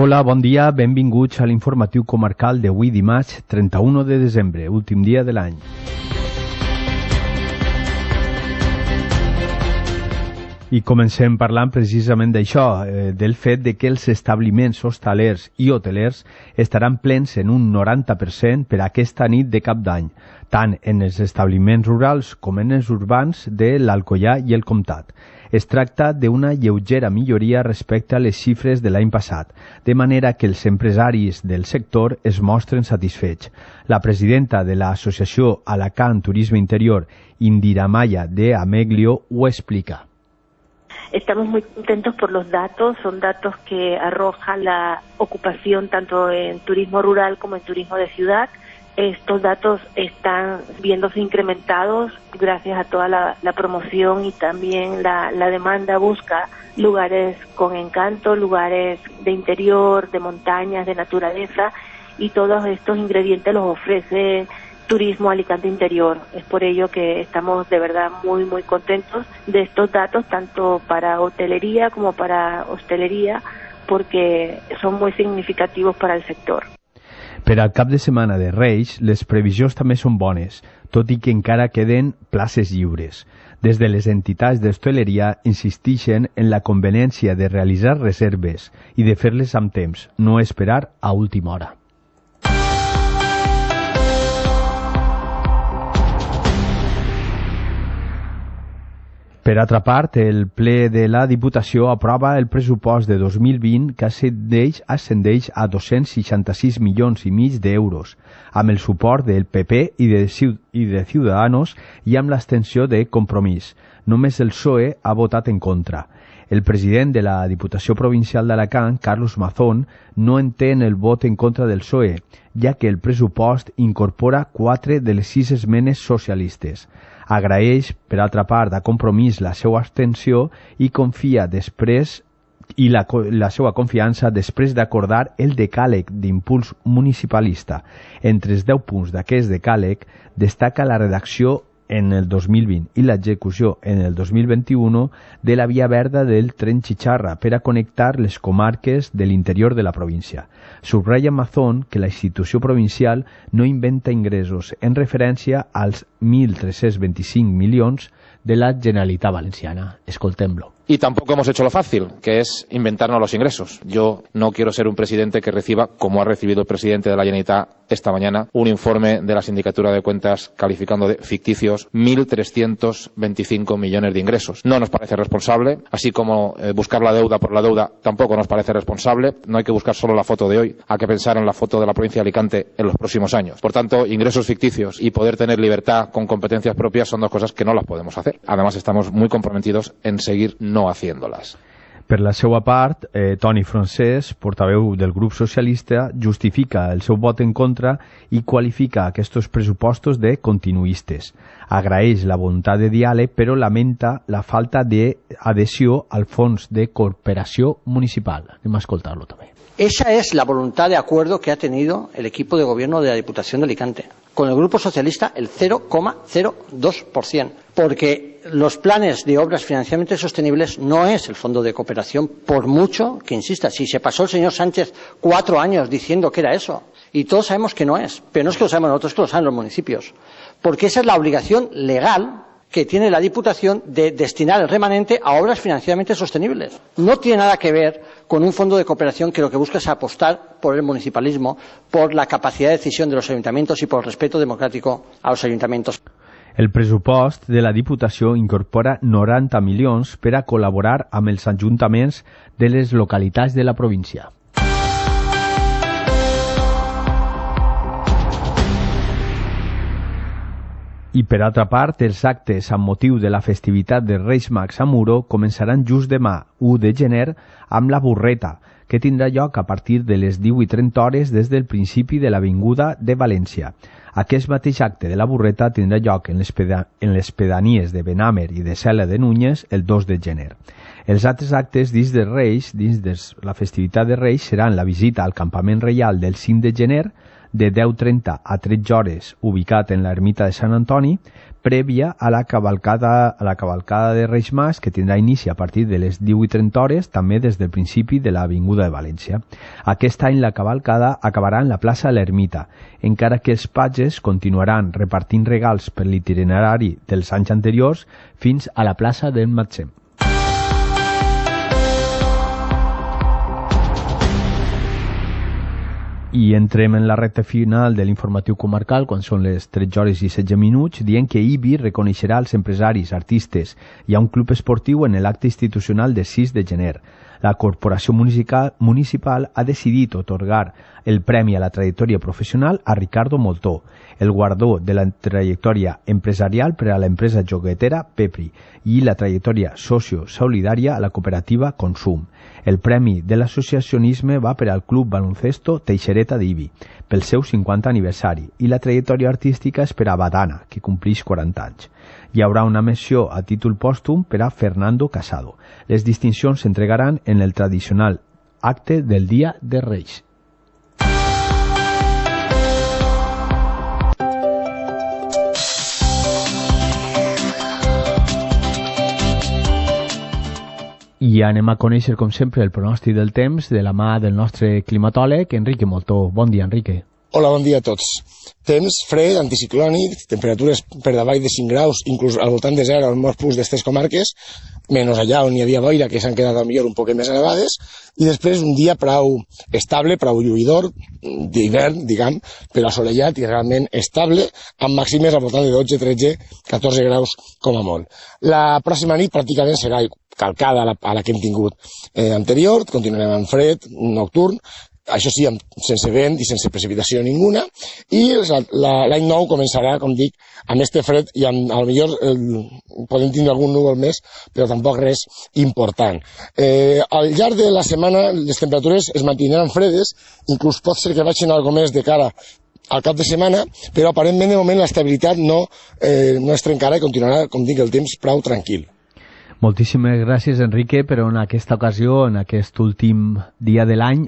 Hola, bon dia, benvinguts a l'informatiu comarcal d'avui dimarts 31 de desembre, últim dia de l'any. I comencem parlant precisament d'això, del fet de que els establiments hostalers i hotelers estaran plens en un 90% per aquesta nit de cap d'any, tant en els establiments rurals com en els urbans de l'Alcoià i el Comtat. Es tracta d'una lleugera milloria respecte a les xifres de l'any passat, de manera que els empresaris del sector es mostren satisfets. La presidenta de l'associació Alacant Turisme Interior, Indira Maya de Ameglio, ho explica. Estamos muy contentos por los datos, son datos que arroja la ocupación tanto en turismo rural como en turismo de ciudad. Estos datos están viéndose incrementados gracias a toda la promoción y también la demanda busca lugares con encanto, lugares de interior, de montañas, de naturaleza, y todos estos ingredientes los ofrece Turismo Alicante Interior. Es por ello que estamos de verdad muy muy contentos de estos datos, tanto para hotelería como para hostelería, porque son muy significativos para el sector. Per al cap de setmana de Reis, les previsions també són bones, tot i que encara queden places lliures. Des de les entitats d'hostaleria insisteixen en la conveniència de realitzar reserves i de fer-les amb temps, no esperar a última hora. Per altra part, el ple de la Diputació aprova el pressupost de 2020 que ascendeix a 266 milions i mig d'euros, amb el suport del PP i de Ciudadanos i amb l'abstenció de Compromís. Només el PSOE ha votat en contra. El president de la Diputació Provincial d'Alacant, Carlos Mazón, no entén el vot en contra del PSOE, ja que el pressupost incorpora 4 de les 6 esmenes socialistes. Agraeix, per altra part, a Compromís la seva abstenció i confia després la seva confiança després d'acordar el decàleg d'impuls municipalista. Entre els 10 punts d'aquest decàleg destaca la redacció en el 2020 i l'execució en el 2021 de la via verda del tren Chicharra per a connectar les comarques de l'interior de la província. Subratlla Mazón que la institució provincial no inventa ingressos en referència als 1.325 milions de la Generalitat Valenciana. Escoltem-lo. Y tampoco hemos hecho lo fácil, que es inventarnos los ingresos. Yo no quiero ser un presidente que reciba, como ha recibido el presidente de la Generalitat esta mañana, un informe de la Sindicatura de Cuentas calificando de ficticios 1.325 millones de ingresos. No nos parece responsable, así como buscar la deuda por la deuda tampoco nos parece responsable. No hay que buscar solo la foto de hoy, hay que pensar en la foto de la provincia de Alicante en los próximos años. Por tanto, ingresos ficticios y poder tener libertad con competencias propias son dos cosas que no las podemos hacer. Además, estamos muy comprometidos en seguir no haciéndolas. Per la seva part, Toni Francesc, portaveu del grup socialista, justifica el seu vot en contra i qualifica aquests pressupostos de continuistes. Agraeix la voluntat de diàleg, però lamenta la falta d'adhesió al fons de cooperació municipal. Anem a escoltar-lo també. Esa es la voluntad de acuerdo que ha tenido el equipo de gobierno de la Diputación de Alicante. Con el Grupo Socialista el 0,02%, porque los planes de obras financieramente sostenibles no es el fondo de cooperación, por mucho que insista. Si se pasó el señor Sánchez 4 años diciendo que era eso, y todos sabemos que no es, pero no es que lo sabemos nosotros, es que lo saben los municipios, porque esa es la obligación legal que tiene la Diputación de destinar el remanente a obras financieramente sostenibles. No tiene nada que ver con un fondo de cooperación que lo que busca es apostar por el municipalismo, por la capacidad de decisión de los ayuntamientos y por el respeto democrático a los ayuntamientos. El pressupost de la Diputació incorpora 90 milions per a col·laborar amb els ajuntaments de les localitats de la província. I per altra part, els actes amb motiu de la festivitat de Reis Mags a Muro començaran just demà, 1 de gener, amb la burreta, que tindrà lloc a partir de les 18:30 hores des del principi de l'Avinguda de València. Aquest mateix acte de la burreta tindrà lloc en les pedanies de Benàmer i de Cela de Núñez el 2 de gener. Els altres actes dins de Reis, dins de la festivitat de Reis, seran la visita al campament reial del 5 de gener, de 10:30 a 13 hores ubicat en l'ermita de Sant Antoni, prèvia a la cavalcada de Reis Mas, que tindrà inici a partir de les 18:30 hores, també des del principi de l'Avinguda de València. Aquest any la cavalcada acabarà en la plaça de l'Ermita, encara que els patges continuaran repartint regals per l'itinerari dels anys anteriors fins a la plaça del Matzem. I entrem en la recta final de l'informatiu comarcal quan són les 13 hores i 16 minuts, dient que IBI reconeixerà als empresaris, artistes i a un club esportiu en l'acte institucional de 6 de gener. La Corporació Municipal ha decidit otorgar el Premi a la Trajectòria Professional a Ricardo Moltó, el guardó de la trajectòria empresarial per a l'empresa joguetera Pepri i la trajectòria socio-solidària a la cooperativa Consum. El Premi de l'Associacionisme va per al Club Baloncesto Teixereta d'Ibi, pel seu 50 aniversari, i la trajectòria artística és per a Badana, que complix 40 anys. Hi haurà una menció a títol pòstum per a Fernando Casado. Les distincions s'entregaran en el tradicional acte del Dia de Reis. I anem a conèixer, com sempre, el pronòstic del temps de la mà del nostre climatòleg, Enrique Moltó. Bon dia, Enrique. Hola, bon dia a tots. Temps fred, anticiclònic, temperatures per davall de 5 graus, inclús al voltant de 0 en molts punts d'estes comarques, menys allà on hi havia boira, que s'han quedat millor un poc més elevades, i després un dia prou estable, prou lluïdor, d'hivern, diguem, però assolellat i realment estable, amb màximes al voltant de 12, 13, 14 graus com a molt. La pròxima nit pràcticament serà calcada a la que hem tingut anterior, continuarem amb fred, nocturn, això sí, sense vent i sense precipitació ninguna, i l'any nou començarà, com dic, amb este fred i potser podem tindre algun núvol més, però tampoc res important. Al llarg de la setmana les temperatures es mantindran fredes, inclús pot ser que vagin algo més de cara al cap de setmana, però aparentment de moment l'estabilitat no es trencarà i continuarà, com dic, el temps prou tranquil. Moltíssimes gràcies, Enrique, però en aquesta ocasió, en aquest últim dia de l'any,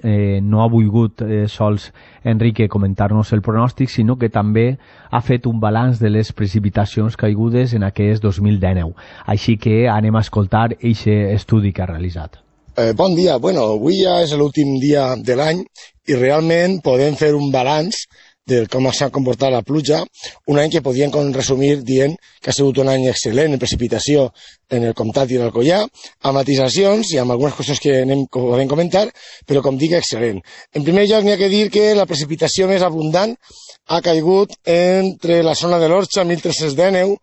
no ha volgut sols Enrique comentar-nos el pronòstic, sinó que també ha fet un balanç de les precipitacions caigudes en aquest 2019. Així que anem a escoltar aquest estudi que ha realitzat. Bon dia. Bueno, avui ja és l'últim dia de l'any i realment podem fer un balanç de com s'ha comportat la pluja, un any que podíem resumir dient que ha sigut un any excel·lent en precipitació en el Comtat i l'Alcoià, amb matisacions i amb algunes qüestions que podem comentar, però com dic, excel·lent. En primer lloc, n'hi ha que dir que la precipitació més abundant ha caigut entre la zona de l'Orxa, 1.319,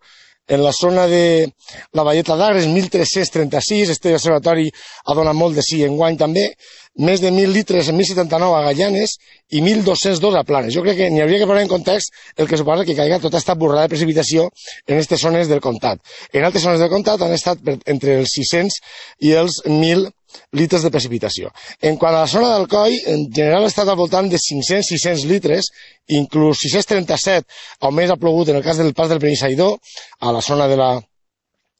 en la zona de la Valleta d'Agres, 1.336, este observatori ha donat molt de sí enguany també, més de 1.000 litres en 1.079 a Gallanes i 1.202 a Planes. Jo crec que n'hi hauria que posar en context el que suposa que caiga tota aquesta borrada de precipitació en aquestes zones del comtat. En altres zones del comtat han estat entre els 600 i els 1.000 litres de precipitació. En quant a la zona d'Alcoi, en general ha estat al voltant de 500-600 litres, inclús 637, on més ha plogut en el cas del Pas del Benissaïdor, a la zona de la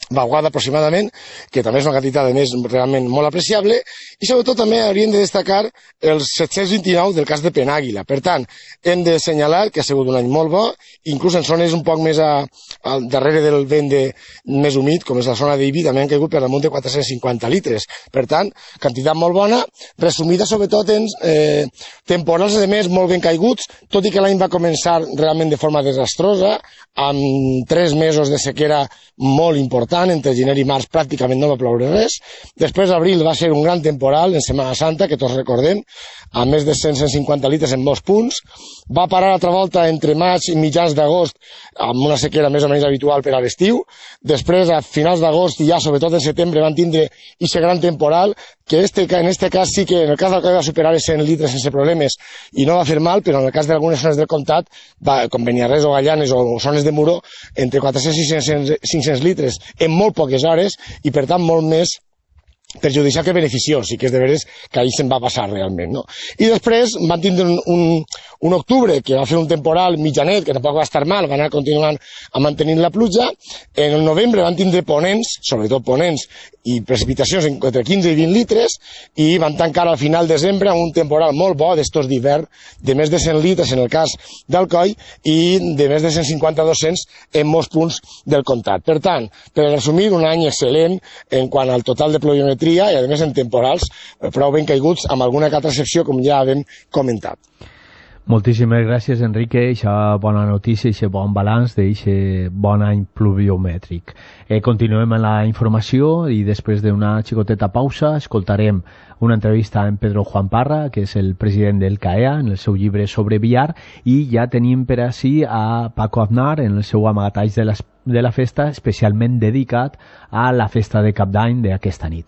Baguada aproximadament, que també és una quantitat de més realment molt apreciable, i sobretot també hauríem de destacar els 729 del cas de Penàguila. Per tant, hem de assenyalar que ha sigut un any molt bo, inclús en zones un poc més darrere del vent més humit, com és la zona d'Ibi, també han caigut per damunt de 450 litres. Per tant, quantitat molt bona, resumida sobretot en temporals de més molt ben caiguts, tot i que l'any va començar realment de forma desastrosa, amb 3 mesos de sequera molt important, entre gener i març pràcticament no va ploure res. Després abril va ser un gran temporal en Setmana Santa, que tots recordem, amb més de 150 litres en molts punts. Va parar altra volta entre maig i mitjans d'agost amb una sequera més o menys habitual per a l'estiu. Després, a finals d'agost i ja sobretot en setembre van tindre aquest gran temporal, que en este cas sí que en el cas del que va superar els 100 litres sense problemes i no va fer mal, però en el cas d'algunes zones del comtat, com Beniarrés o Gallanes o zones de Muro, entre 400 i 500 litres en molt poques hores i per tant molt més perjudicial que beneficiós, i que és de veres que ahir se'n va passar realment, no? I després van tindre un octubre que va fer un temporal mitjanet, que tampoc va estar mal, van anar continuant a mantenir la pluja. En el novembre van tindre ponents, sobretot ponents, i precipitacions entre 15 i 20 litres, i van tancar al final de desembre amb un temporal molt bo d'estos d'hivern, de més de 100 litres en el cas d'Alcoi, i de més de 150-200 en molts punts del comtat. Per tant, per resumir, un any excel·lent en quant al total de pluviometria, i a més en temporals prou ben caiguts, amb alguna que altra excepció, com ja hem comentat. Moltíssimes gràcies, Enrique, eixa bona notícia, eixe bon balanç d'eixe bon any pluviomètric. Continuem amb la informació i després d'una xicoteta pausa escoltarem una entrevista amb Pedro Juan Parra, que és el president del CAEA, en el seu llibre sobre billar, i ja tenim per ací a Paco Aznar en el seu amagatalls de la festa, especialment dedicat a la festa de Cap d'Any d'aquesta nit.